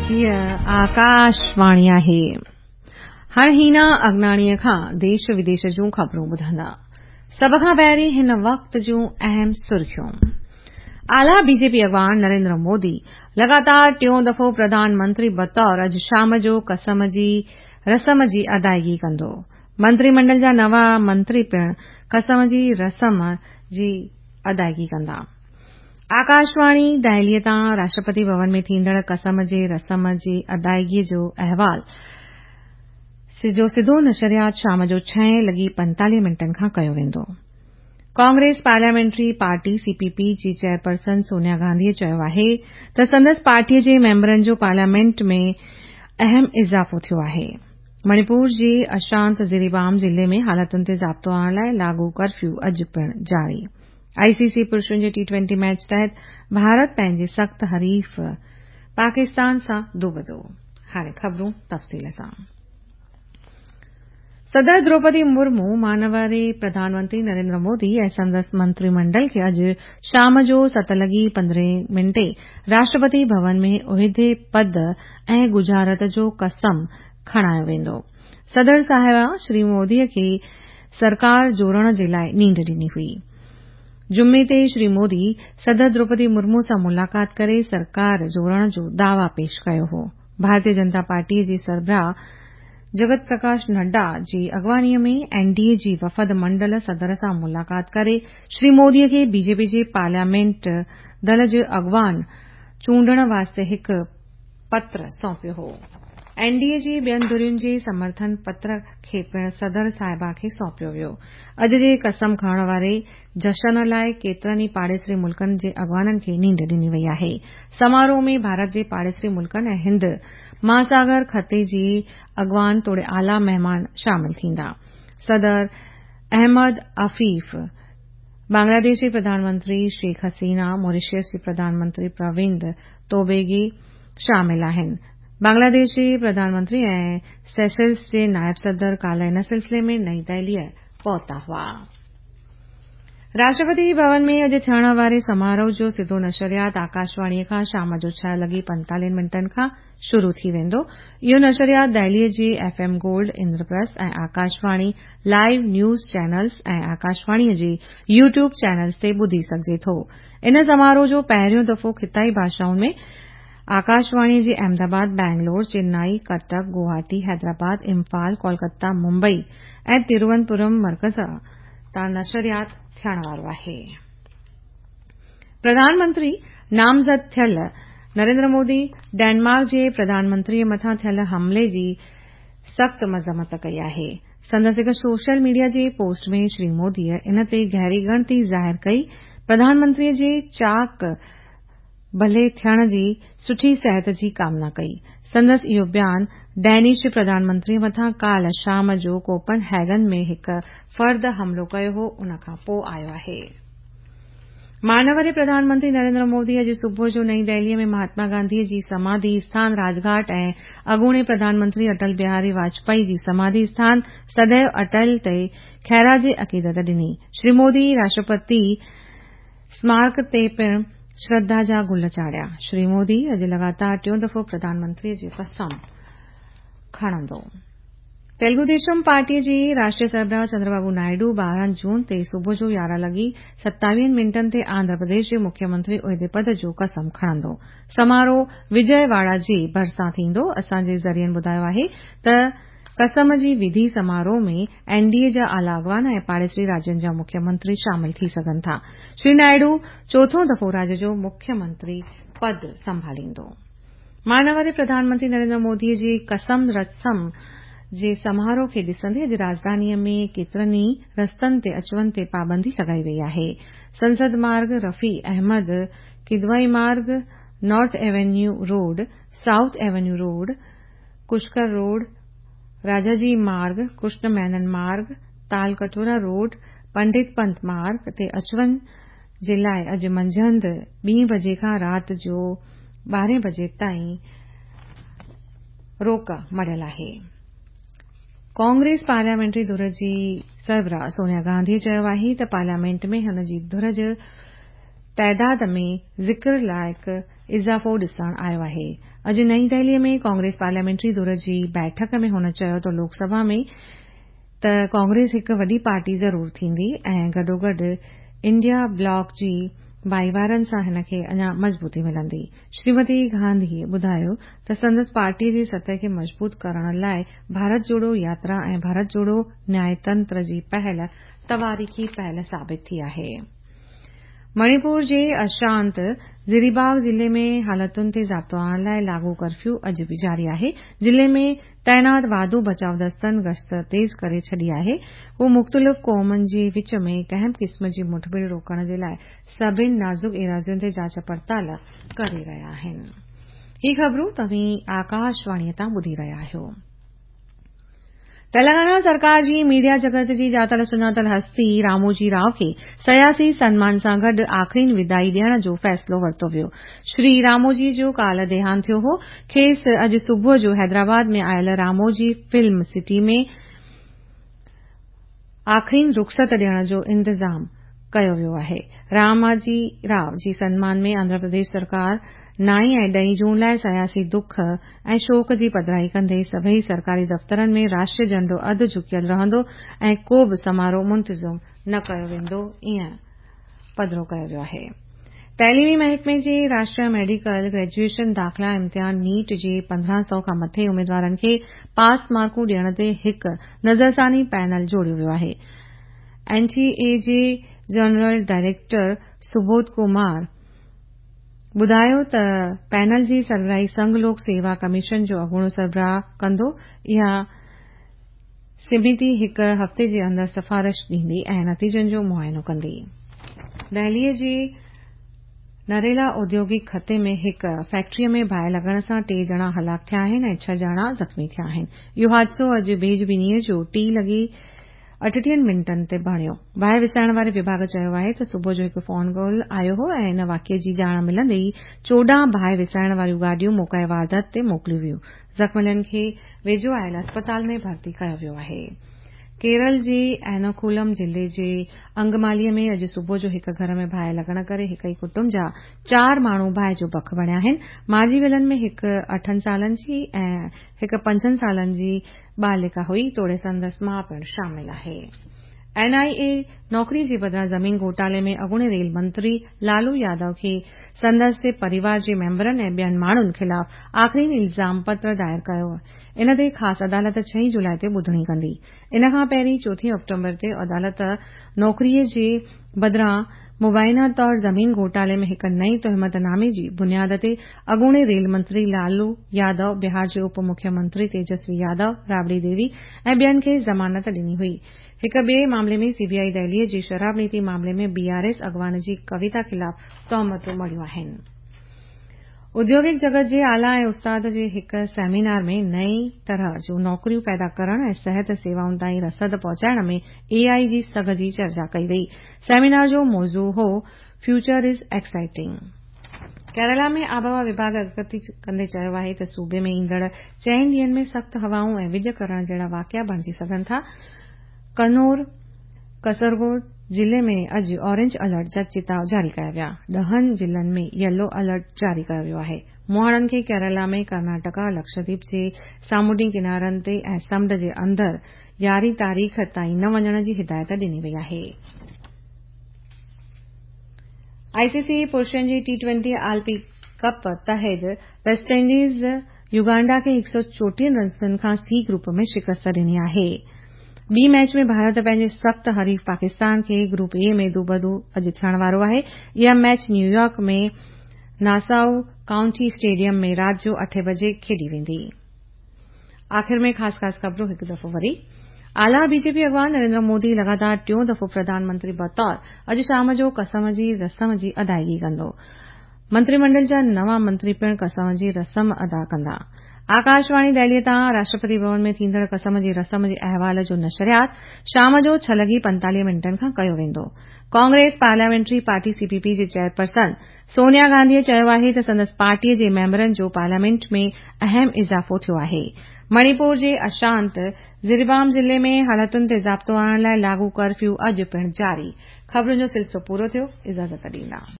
هيء آڪاشواڻي آهي. هاڻ هينا اگناڻيء کان ديش وديش جون خبرون ٻڌندا. سڀ کان پهرين هن وقت جون اهم سرخيون. اعليٰ بي جي پي اڳواڻ نريندر مودي لڳاتار ٽيون دفعو پرڌان منتري بطور اڄ شام جو قسم جي رسم جي ادائگي ڪندو. منتري منڊل جا نوان منتري پڻ قسم جي رسم جي ادائگي ڪندا. آڪاشواڻي دهليء تان راشٽرپتي ڀون ۾ ٿيندڙ قسم جي رسم جي ادائگي جو احوال جو سڌو نشريات شام جو ڇهين لڳي پنتاليهه منٽن کان ڪيو ويندو. ڪانگريس پارليامينٽري پارٽي، سي پي پي، جي چيئرپرسن سونيا گانڌيء چيو آهي ته سندس پارٽيء جي ميمبرن جو پارليامينٽ ۾ اهم اضافو ٿيو آهي. مڻيپور جي اشانت زريبام ضلعي ۾ حالتن تي ضابطو آڻڻ لاء لاڳو ڪرفيو اڄ پڻ جاري. آء سي سي پرشن جي ٽي ٽوئنٽي ميچ تحت ڀارت پنهنجي سخت حريف پاڪستان سان دوبدو. هاڻي خبرون تفصيل سان. صدر دروپدي مرمو مانواري پرڌان منتري نريندر مودي ۽ سندس منتري منڊل کي اڄ شام جو ست لڳي پندرهين منٽي راشٽرپتي ڀون ۾ عهدي پد ۽ ڳجهارت جو قسم کڻايو ويندو. صدر صاحبه شري مودي کي سرڪار جوڙڻ جي لاء نينڍ ڏني هئي. جمعي تي شري مودي صدر دروپدي مرمو سان ملاقات ڪري سرڪار جوڙڻ جو دعويٰ پيش ڪيو هو. ڀارتيه جنتا پارٽي جي سربراهه جگت پرڪاش نڊا جي اڳواڻي ۾ اين ڊي اي جي وفد منڊل صدر سان ملاقات ڪري شري مودي کي بي جي پي جي پارليامينٽ دل جو اڳواڻ چونڊڻ واسطي هڪ پتر سونپيو هو. اين ڊي اي جي ٻين ڌرين جي سمرٿن پتر کي پڻ صدر صاحبه کي سونپيو ويو. اڄ جي قسم کڻڻ واري جشن لاء ڪيترن ئي پاڙيسري ملڪن جي اڳواڻن کي نينڍ ڏني وئي آهي. سماروهه ۾ ڀارت جي پاڙيسري ملڪن ۽ هند مهاساگر خطي جي اڳواڻ توڙي اعليٰ مهمان شامل ٿيندا. صدر احمد عفيف، بنگلاديش جي پرڌان منتري شيخ حسينه، موريشس جي پرڌان منتري پرويند توبيگي شامل آهن. بنگلاديش جي پرڌان منتري ۽ سيشلز جي نائب صدر ڪالهه ان سلسلي ۾ نئين دهليء پهتا هئا. راشٽرپتي ڀون ۾ اڄ ٿيڻ واري سماروهه جو سڌو نشريات آڪاشواڻيء کان شام جو ڇهه لڳي پنتاليهن منٽن کان شروع ٿي ويندو. اهو نشريات دهليء جي F M gold, Indraprastha ۽ Akashvani live news channels ۽ آڪاشواڻيء جي يوٽيوب چينلز تي ٻڌي سگهجي ٿو. ان سماروهه جو پهريون دفعو خطائي ڀاشائن ۾ آڪاشواڻيء جي احمد آباد، بئنگلور، چنائي، ڪٽڪ، گوهاٽي، حيدرآباد، امفال، ڪولڪتا، ممبئي ۽ تروونتپورم مرڪز تان نشريات ٿيڻ وارو آهي. پرڌان منتري نامزد ٿيل نريندر مودي ڊينمارڪ جي پرڌان منتريء مٿان ٿيل حملي جي سخت مذمت ڪئي آهي. سندس هڪ سوشل ميڊيا جي پوسٽ ۾ شري موديء ان تي گهري ڳڻتي ظاهر ڪئي. پرڌان منتريء جي چاق ڀلي ٿيڻ جي سٺي صحت جي ڪامنا ڪئي. سندس اهو بيان ڊينش پرڌان منتريء مٿان ڪالهه شام جو ڪوپن هيگن ۾ هڪ فرد حملو ڪيو هو ان کان پوء آيو آهي. مانوري پرڌان منتري نريندر مودي اڄ صبح جو نئين دهليء ۾ مهاتما گانڌيء جي سماڌي اسٿان راجگهاٽ ۽ اڳوڻي پرڌان منتري اٽل بهاري واجپائي جي سماڌي اسٿان سديو اٽل تي خراج عقيدت ڏني. شري مودي راشٽرپتي سمارڪ تي پڻ شرڌا جا گل چاڙهيا. شري مودي اڄ لڳاتار ٽيون دفعو پرڌان منتريء جي قسم کڻندو. تيلگو ديشم پارٽيء جي راشٽريه سربراهه چندربابو نائيڊو 12 جون تي صبح جو يارهن لڳي ستاويهن منٽن تي آنڌرا پرديش جي مکيه منتري عهدي پد جو قسم کڻندو. سماروهه وجئه واڙا جي ڀرسان ٿيندو. اسان جي ذريعن ٻڌايو آهي ته قسم جي وڌي سماروهه ۾ اين ڊي اي جا اعليٰ اڳواڻ ۽ پاڙيسري راجين جا مکيه منتري شامل ٿي سگهن ٿا. شري نائيڊو چوٿون دفعو راڄ جو مکيه منتري پد سنڀاليندو. مانواري پرڌان منتري نريندر مودي جي قسم رسم جي سماروهه کي ڏسندي اڄ راڄڌانيء ۾ ڪيترن ئي رستن تي اچ وڃ تي پابندي لڳائي وئي آهي. سنسد مارگ، رفيع احمد قدوائي مارگ، north avenue road, south avenue road, Pushkar road, Rajaji Marg, Krishna Menon Marg, Talkatora road, Pandit Pant Marg تي اچ وڃ جي لاء اڄ منجهند ٻين بجي کان رات جو ٻارهين بجي تائين روڪ مڙهيل آهي. ڪانگريس پارليامينٽري ڌر جي سربراهه سونيا گانڌيء چيو آهي ته پارليامينٽ ۾ هن جي ڌر جي تعداد ۾ ذڪر لائق اضافو ڏسڻ آيو آهي. اڄ نئين دهلي ۾ ڪانگريس پارليامينٽري ڌر جي بيٺڪ ۾ هن چيو ته لوڪ سڀا ۾ ته ڪانگريس هڪ وڏي پارٽي ضرور ٿيندي ۽ گڏوگڏ انڊيا بلاڪ جي ڀائيوارن سان هن کي اڃا مضبوطي ملندي. شريمتي گانڌي ٻڌايو ته سندس پارٽي جي سطح کي مضبوط ڪرڻ لاء ڀارت جوڙو ياترا ۽ ڀارت جوڙو نياء تنتر جي پهل تواريخي پهل ثابت ٿي آهي. مڻيپور جي اشانت زريباغ ضلعي ۾ حالتن تي ضابطو آڻڻ لاء لاڳو ڪرفيو اڄ به جاري آهي. ضلعي ۾ تعينات واڌو بچاء دستن گشت تيز ڪري ڇڏي آهي. هو مختلف قومن جي وچ ۾ ڪنهن به قسم جي مٺڀيڙ روڪڻ جي لاء سڀني نازڪ ايراضين تي جاچ پڙتال ڪري رهيا آهن. هي خبرون توهين آڪاشواڻي تان ٻڌي رهيا آهيو. تلنگانا سرڪار جي ميڊيا جڳت جي ڄاتل سڃاتل هستي راموجي رائو کي سياسي سنمان سان گڏ آخرين وداعي ڏيڻ جو فيصلو ورتو ويو. شري راموجي جو ڪالهه ديهانت ٿيو هو. کيس اڄ صبح جو حيدرآباد ۾ آيل راموجي فلم سٽي ۾ آخرين رخصت ڏيڻ جو انتظام ڪيو ويو آهي. راماجي رائو جي سنمان ۾ آنڌرا پرديش سرڪار نائين ۽ ڏهين جون لاء سياسي دک ۽ شوڪ جي پڌرائي ڪندي سڀئي سرڪاري دفترن ۾ راشٽري جهنڊو اڌ جهڪيل رهندو ۽ ڪو به سماروهه منتظم نه ڪيو ويندو ايئن پڌرو ڪيو ويو آهي. تعليمي محڪمي جي راشٽريه ميڊيڪل گريجوئيشن داخلا امتحان نيٽ جي 1500 کان مٿي اميدوارن کي پاس مارڪون ڏيڻ تي هڪ نظرثاني پينل جوڙيو ويو آهي. اين ٽي اي جي جنرل ڊائريڪٽر سبوڌ ڪمار ٻڌايو ته پينل جي سربراهي سنگهه لوڪ سيوا ڪميشن جو اڳوڻو سربراهه ڪندو. اها سميتي هڪ هفتي جي اندر سفارش ڏيندي ۽ نتيجن جو معائنو ڪندي. دهلي جي نريلا اوديوگڪ خطي ۾ هڪ فيڪٽري ۾ باهه لڳڻ سان ٽي ڄڻا هلاڪ ٿيا آهن ۽ ڇهه ڄڻا زخمي ٿيا آهن. اهو حادثو اڄ ڀيڄ ٻنيء جو 3:38 تي بڻيو. باهه وسائڻ واري وڀاڳ چيو آهي ته صبح جو هڪ فون ڪال آيو هو ۽ ان واقعي جي ڄاڻ ملندي ئي 14 باهه وسائڻ واريون گاڏيون موقعي واردات تي موڪليون ويون. زخمين کي ويجهو آيل اسپتال ۾ ڀرتي ڪيو ويو آهي. ڪيرل جي ايرناڪولم ضلعي جي انگمالي ۾ اڄ صبح جو هڪ گهر ۾ باهه لڳڻ ڪري هڪ ئي ڪٽنب جا چار ماڻهو باهه جو بک بڻيا آهن. مارجي ويلن ۾ هڪ اٺن سالن جي ۽ هڪ پنجن سالن جي ٻالڪا هئي توڙي سندس ماء پڻ شامل آهي. اين آء اي نوڪري جي بدران زمين گهوٽالي ۾ اڳوڻي ريل منتري لالو يادو کي سندس پريوار جي ميمبرن ۽ ٻين ماڻهن خلاف آخرين الزام پتر دائر ڪيو ان تي خاص عدالت ڇهين جولاء تي ٻڌڻي ڪندي. ان کان پهرين چوٿين آڪٽوبر تي عدالت نوڪري جي بدران مبينا طور زمين گهوٽالي ۾ هڪ نئين تهمت نامي جي بنياد تي اڳوڻي ريل منتري لالو يادو، بهار جي اپ مکيه منتري تيجسوي يادو، رابڙي ديوي ۽ ٻين کي ضمانت ڏني هئي. هڪ ٻئي معاملي ۾ سي بي آء دهلي جي شراب نيتي معاملي ۾ بي آر ايس اڳواڻ جي ڪويتا خلاف تهمتون مڙهيون آهن. اوديوگڪ جڳت جي اعليٰ ۽ استاد جي هڪ سيمينار ۾ نئين طرح جون نوڪريون پيدا ڪرڻ ۽ صحت سيوائن تائين رسد پهچائڻ ۾ اي آء جي سگهه جي چرچا ڪئي وئي. سيمينار جو موضوع هو فيوچر از ايڪسائيٽنگ. ڪيرالا ۾ آبهوا وڀاڳ اڳڪٿي ڪندي چيو آهي ته صوبي ۾ ايندڙ چئن ڏينهن ۾ سخت هوائون ۽ وڄ ڪرڻ جهڙا واقعا بڻجي سگهن ٿا. ڪنور، ڪسرگوڊ ضلعي ۾ اڄ اورينج الرٽ جا چتاء جاري ڪيا ويا. ڏهن ضلعن ۾ يلو الرٽ جاري ڪيو ويو آهي. مهاڻن کي ڪيرالا ۾ ڪرناٽڪا، لڪشديپ جي سامونڊي ڪنارن تي ۽ سمنڊ جي اندر 11 تاريخ تائين نه وڃڻ جي هدايت ڏني وئي آهي. آء سي سي پرشن جي ٽي ٽوئنٽي عالمي ڪپ تحت ويسٽ انڊيز يوگانڊا کي 134 رنسن کان سي گروپ ۾ شڪست ڏني آهي. ٻي ميچ ۾ ڀارت پنهنجي سخت حريف پاڪستان کي گروپ اي ۾ دوبدو اڄ ٿيڻ وارو آهي. اها ميچ نيويارڪ ۾ ناسائو ڪائونٽي اسٽيڊيم ۾ رات جو اٺين بجي کيڏي ويندي. آخر ۾ خاص خاص خبرون هڪ دفعو وري. اعليٰ بي جي پي اڳواڻ نريندر مودي لڳاتار ٽيون دفعو پرڌان منتري بطور اڄ شام جو قسم جي رسم جي ادائيگي ڪندو. منتري منڊل جا نوان منتري پڻ قسم جي رسم ادا ڪندا. آڪاشواڻي دهلي تان راشٽرپتي ڀون ۾ ٿيندڙ قسم جي رسم جي احوال جو نشريات شام جو 6:45 کان ڪيو ويندو. Congress parliamentary party C P P جي چيئرپرسن سونيا گانڌي چيو آهي ته سندس پارٽي جي ميمبرن جو پارليامينٽ ۾ اهم اضافو ٿيو آهي. مڻيپور جي اشانت زريبام ضلعي ۾ حالتن تي ضابطو آڻڻ لاء لاڳو ڪرفيو اڄ پڻ جاري. خبرن جو سلسلو پورو ٿيو. اجازت ڏيندا.